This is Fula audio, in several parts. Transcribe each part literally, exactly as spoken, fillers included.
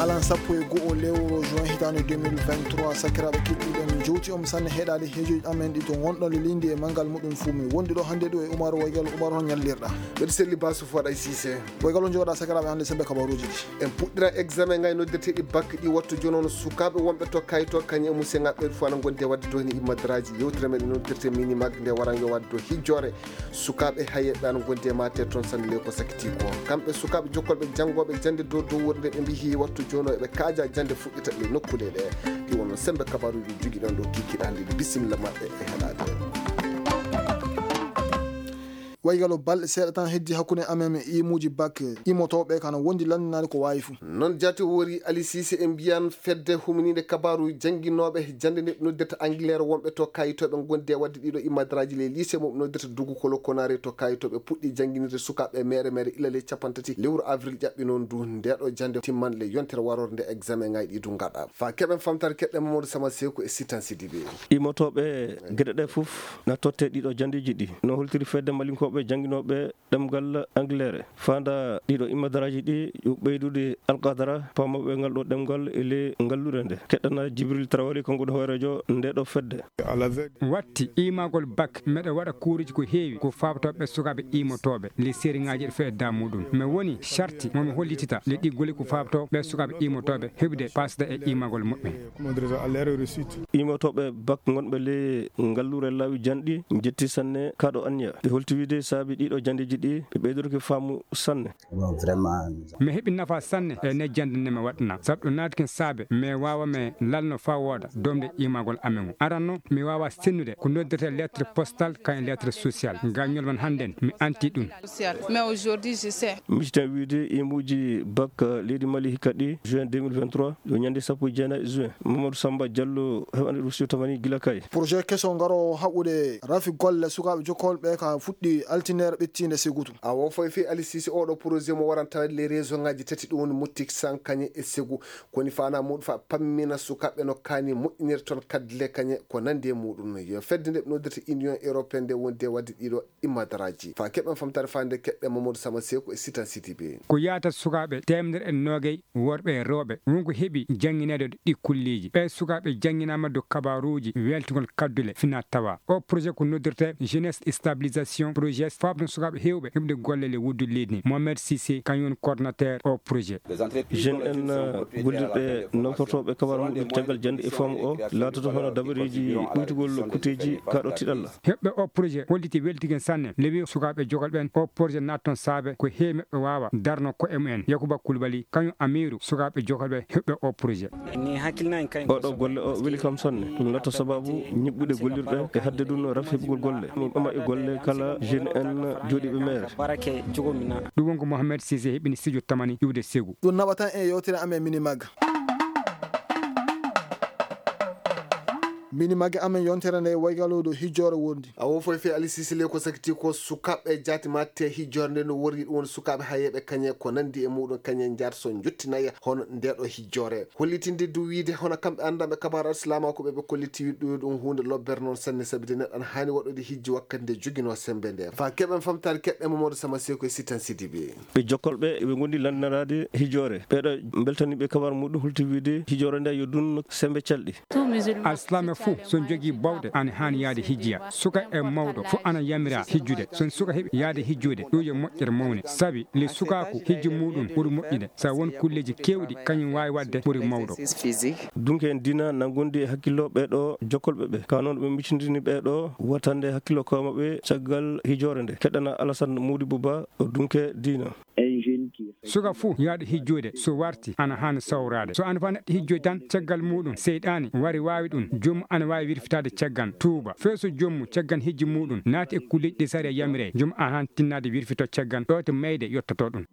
Alan sappo e go'o lewru juin hitaande deux mille vingt-trois, sakiraaɓe keɗiiɗen, njowti on sanne heɗaade heejoji amen ɗi to ngonɗon le lindi e manngal muɗum fuu. Mi wondi ɗo hannde ɗo e Umar Waygal. Umar, hon ñallirɗa? Mbeɗa selli Basu Foɗa e Sise. Waygal, on jogoɗa sakiraaɓe hannde sembe kabaruuji ɗi. En puɗɗira examen ngaji noddirteeɗi bac ɗi wattu jooni on. Sukaaɓe wonɓe to kayito kañum e museŋaaɓe ɓe fof ana ngondi e waɗde ɗo heen e madraji. Yewtere men noddirte Minimag nde waran yo waɗde ɗo hijjoore. Sukaaɓe hayeeɓe ana ngondi e mate toon sanne le ko sakiti ko. Kamɓe sukaaɓe jokkolɓe janngooɓe jannde dow dow wuurde ɓe mbiyi wattu jooni o eɓe kaaja jannde fuɗɗita ɗe nokkuule ɗe. Ɗi wonno sembe kabaruuji jogiɗon ɗo kikiɗe hannde ɗi. Bisimilla maɓɓe e heɗaade. Waygalo balɗe seeɗa tan heddi hakkunde amen e imuuji bac imotooɓe kana wondi lanndinaade ko waawi fuu. Noon jaati wori Ali Sise e mbiyan fedde huminiinde kabaaru jannginooɓe jannde nde noddirta Angleterre wonɓe to kayitooɓe ngondi e waɗde ɗiɗo imadraaji le lycée mo noddirta Dugu Kolo Konare to kayitooɓe puɗɗi jannginirde sukaaɓe mere mere ila le cappanɗe tati lewru avril ƴaɓɓi noon ndu ndeeɗo jannde timman le yontere warorde examen ngaji ɗi du ngaɗa. Fa keɓen famtare keɗɗen Mamadou Sama Seku e Sitan Sidibe. Imotooɓe geɗe ɗe fof na totte ɗiɗo janndeeji ɗi. No holtiri fedde malinkooɓe jannginooɓe ɗemngal Angleterre. Faanda ɗiɗo imadraaji ɗi yo ɓeydude alqadara paamooɓe ngal ɗo ɗemngal e le ngallure nde. Keɗɗana Jibril Traoré, kanko ɗo hooreejo nde ɗo fedde. Watti imagol bac, meɗa waɗa kuuruji ko heewi ko faabtoo ɓe sukaaɓe imotooɓe le sériŋaaji ɗi fedda muɗum. Mi woni sarti mo mi hollitita le ɗi goli ko faabtoo ɓe sukaaɓe imotooɓe heɓude paasda e imagol muɓɓen. Imotooɓe bac ngonɓe le ngallure laawi janɗi njetti sanne kaɗo anniya. Ɓe holti wiide saabi ɗiɗo janndeeji ɗi ɓe ɓeydorki faamu sanne. Mi heɓi nafa sanne e ne jannde nde mi waɗna. Sabu ɗum naati ken saabe, mi waawa mi lalno faa wooda domde imagol amen o. Aranno, mi waawa sennude ko noddirte lettre postale kañum lettre sociale. Gañol man hannden, mi anti ɗum. Mais aujourd'hui, je sais. Misitan wiide imuuji bac leydi Mali hikka ɗi juin deux mille vingt-trois, yo ñande sappo e jeenayi juin. Mamadou Samba Diallo heɓani ɗum siwtamani gila kay. Projet keso ngaro haɓude rafi golle sukaaɓe jokkolɓe ka fuɗɗi altineere ɓettiinde Segutu. A wo foy fi Ali Sise oɗo projet mo waran tawde les région ngaji tati ɗum woni Moutik San kañe e Segu. Koni fana muɗum fa pammina sukaaɓe no kaani moƴƴinirde toon kaddule kañe ko nandi e muɗum. Yo fedde nde ɓe noddirta Union Européenne nde wondi e waɗde ɗiɗo imadraaji. Fa keɓen famtare fande keɓɓe Mamadou Sama Seku e Sitan Sidibe. Ko yaata sukaaɓe teemedere e noogay worɓe e rewɓe wonko heɓi janngineede ɗi kulliiji. Ɓee sukaaɓe jannginaama dow kabaaruuji weltingol kaddule fina tawa. O projet ko noddirte Jeunesse Stabilisation Projet, faabno sukaaɓe heewɓe heɓde golle le wuddu leydi ndi. Mohamed Cissé, kañum woni coordonnateur o projet. Jeune en, uh, gollirɓe noftortooɓe kabaaru muɗum caggal jannde e faamu o laatoto hono dabareeji ɓuytugol kuteeji kaɗo tiɗalla. Heɓɓe o projet holliti weltigen sanne. Lewi sukaaɓe jogol ɓen o projet natton saabe ko heewi meɓɓe waawa darno ko'e mumen. Yakuba Koulibaly, kañum amiiru sukaaɓe jogol ɓe heɓɓe o projet. Oɗo golle o weli kam sanne. Ɗum latta sababu ñiɓɓude gollirɗe e hadde ɗum rafi heɓugol golle. Min ɓama e golle kala jeune en jooɗiiɓe mere. Ɗum wonko Mohamed Cissé heɓini studio tamani iwde Segu. Ɗum naɓata en e yewtere amen Minimag. Minimag amen yontere nde waygaluɗo hijjoore wondi. A wo foy fe Ali Sisi le ko sakiti ko sukaaɓe jaati matte hijjoore nde no worri ɗum woni sukaaɓe hayeeɓe kañe ko nandi e muɗum kañe njaata so njottinaya hono ndeɗo hijjoore. Hollitinde du wiide hono kamɓe anndanɓe kabaru alsilaama ko ɓe ɓe kolliti wiɗɗo ɗum huunde lobbere noon sanne sabi de neɗɗo ana haani waɗude hijji wakkati nde joginoo sembe nde. Fa keɓen famtaare keɓɓe Mamadou Sama Seko e Sitan Sidibe. Ɓe jokkolɓe ɓe ngondi lanndinaraade hijoore. Ɓeeɗo mbeltani ɓe kabaru muɗum hulti wiide hijoore nde yo dunno sembe calɗi. Alsilaame fuu so jogii bawɗe ana haani yaade hijjiya. Suka e mawɗo fuu ana yamiraa hijjude. So suka heɓi yaade hijjude ɗum yo moƴƴere mawne. Sabi le sukaaku hijji muɗum ɓuri moƴƴude. Sa won kulleeji keewɗi kañum waawi waɗde ɓuri mawɗo. Dunke en diina na ngondi e hakkillo ɓeeɗo jokkolɓe ɓe. Ka noon ɓe micindini ɓeeɗo wattande hakkillo koye maɓɓe caggal hijoore nde. Keɗɗana Alassane Modibo Ba o dunke diina. Suka fuu yahɗo hijjoyde so warti ana haani sawraade. So ana fa neɗɗo hijjoy tan caggal muɗum seyɗaani wari waawi ɗum, joomum ana waawi wirfitaade caggal tuuba. Fee so joomum caggal hijji muɗum naati e kulleeji ɗi sariya yamiri, joomum ana haani tinnaade wirfito caggal ɗo to mayde yottoto ɗum.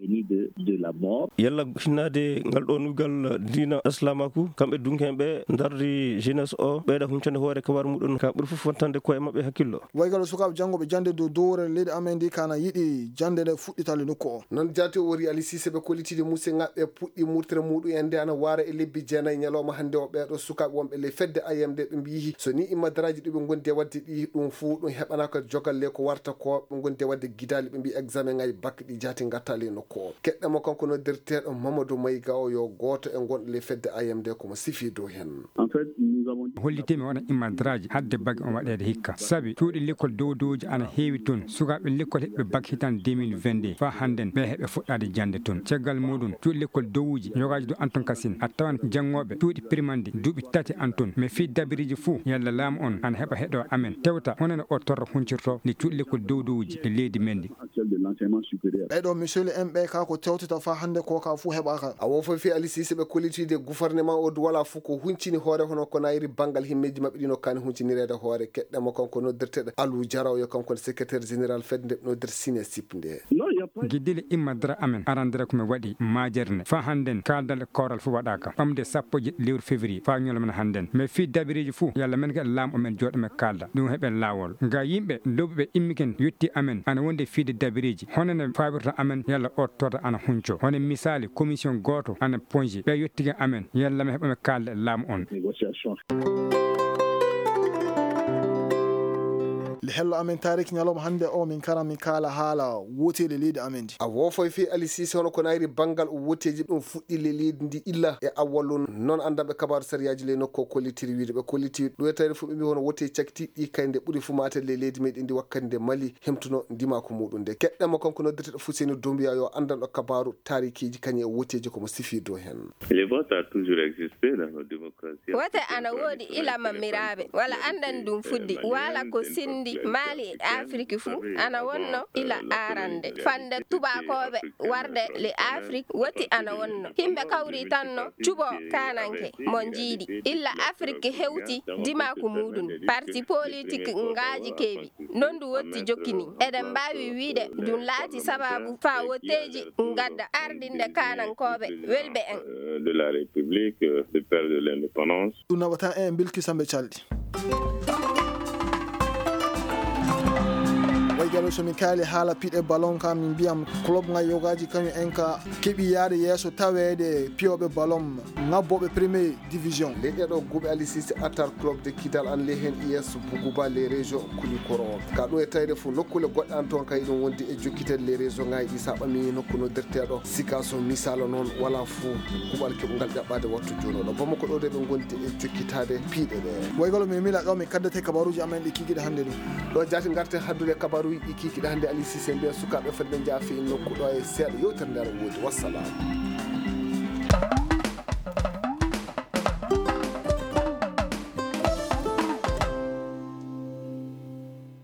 Yalla hinnaade ngal ɗo nuygal diina Islamaku, kamɓe dunkeeɓe ndardi jeunesse o, ɓeyda huncande hoore kabaru muɗum ka ɓuri fof fontande koye maɓɓe hakkillo. Waygal sukaaɓe janngooɓe jannde dow dowre leydi amen ndi kana yiɗi jannde nde fuɗɗitale nokku o. Noon jaati o wori Alisiise ɓe kollitiiɗe muuse ngaɓɓe puɗɗi murtere muɗum en nde ana waara e lebbi jeenayi ñalawma hannde o. Ɓeeɗo sukaaɓe wonɓe ley fedde A M D ɓe mbiyi so ni immadaraaji ɗuɓe ngondi e waɗde ɗi ɗum fuu ɗum heɓanaaka jogalle ko warta ko ɓe ngondi e waɗde gidaali ɓe mbiyi examen ngaji bac ɗi jaati ngatta ley nokku o. Keɗɗe mo kanko noddirteeɗo Mamadou Mayga o yo gooto e ngonɗo ley fedde A M D komo sifi dow heen. Hollitimi oɗon immadaraaji hadde bac on waɗeede hikka sabi cuuɗi lekkol dow dowji ana heewi toon sukaaɓe lekkol heɓɓe bac hitaande deux mille vingt-deux faa hannden ɓe heɓe fuɗɗaade jannde toon caggal muɗum cuuɗi lekkol dowuji yogaaji dow anton kasin a tawan janngooɓe cuuɗi primandi duuɓi tati anton mais fii dabiriiji fuu yalla laamu on ana heɓa heɗo amen tewta honano o torra huncirto ndi cuuɗi lekkol dow dowuji e leydi men ndi. Ɓeɗo misoli en ɓe ka ko tewtita fa hannde ko ka fuu heɓaka. A wofo fi alisise ɓe kollitiide gouvernement o duwala fuu ko huncini hoore hono ko nayri banngal himmeeji maɓɓe ɗino kani huncinireede hoore keɗɗe mo kanko noddirteɗo Alou Diaraw yo kanko ne secrétaire général fedde noddir sine sip nde. Giddile imma dara amen arandere ko mi waɗi majerne fa hannden kaaldal kooral fuu waɗaka ɓamde sappo jeɗɗi lewru février fa ñolmen hannden mais fii dabireeji fuu yalla men ko e laamu men jooɗo men kaalda ɗum heɓe laawol nga yimɓe lobbuɓe immiken yotti amen ana wonde fiide dabireeji hono ne fawirta amen yalla o torra ana hunco hono misaali commission gooto ana ponji ɓe yottike amen yalla mi heɓa mi kaalda e laamu on. Le hello amen tarik ñalawma hannde o min kara min kaala haala woteeli leydi amen ndi. A wofoy fii alisise hono ko nayri banngal o woteeji ɗum fuɗɗi le leydi ndi illa e awwallu noon anndanɓe kabaaru sariyaaji ley nokku o kollitiri wiide ɓe kolliti ɗoytayde fof ɓe mbi hono woteeji cakitiiɗi ɗi kay nde ɓuri fuu maate ley leydi meɗen ndi wakkati nde mali hemtuno ndimaku muɗum nde keɗɗen mo kanko noddirteɗo fuseni dombiya yo anndanɗo kabaaru tarikiiji kañum e woteeji komo sifi dow heen. Le vote a toujours existé dans nos démocraties. Wote ana woodi ila mammiraaɓe wala anndani ɗum fuɗɗi wala ko senndi maali e afiriki fuu ana wonno ila arande fande tubakooɓe warde le afrik woti ana wonno himɓe kawri tanno cuɓo kananke mo njiiɗi illa afrik hewti dimaku muɗum parti politik ngaaji keewi non ndu wotti jokkini eɗen mbaawi wiide ɗum laati sababu faa wotteeji ngadda ardinde kanankooɓe welɓe en. De la République, le père de l'indépendance. Ɗum naɓata en bilkisa mbe calɗi. Waygalo somi kaali haala piɗe ballon ka min mbiyam club nga yogaji kañum en ka keɓi yaade yeeso taweede piyoɓe ballon ngabboɓe premier division. Ley ɗeɗo guuɓe alisisi atar club de kidal an ley heen is buguba les régions kulikoro ka ɗum e tawde fof nokkule goɗɗe an toon kay ɗum wondi e jokkitede les régions ngaji ɗi sa ɓami nokku noddirteɗo sika so misala noon wala fof kuuɓal keɓungal ƴaɓɓade wattu jonoɗo bamako ɗo de ɓe gondi e jokkitade piiɗe ɗe. Waygalo mi mila ɗo mi kaddate kabaruji amen ɗi kikiɗe hannde ɗum. Ɗo jaati garten haddude kabaruji ɗi kikiɗe hannde alisisi mbiya sukaɓe fodde jaafi nokku ɗo e seeɗa yewtere nde aɗa woodi wassalam.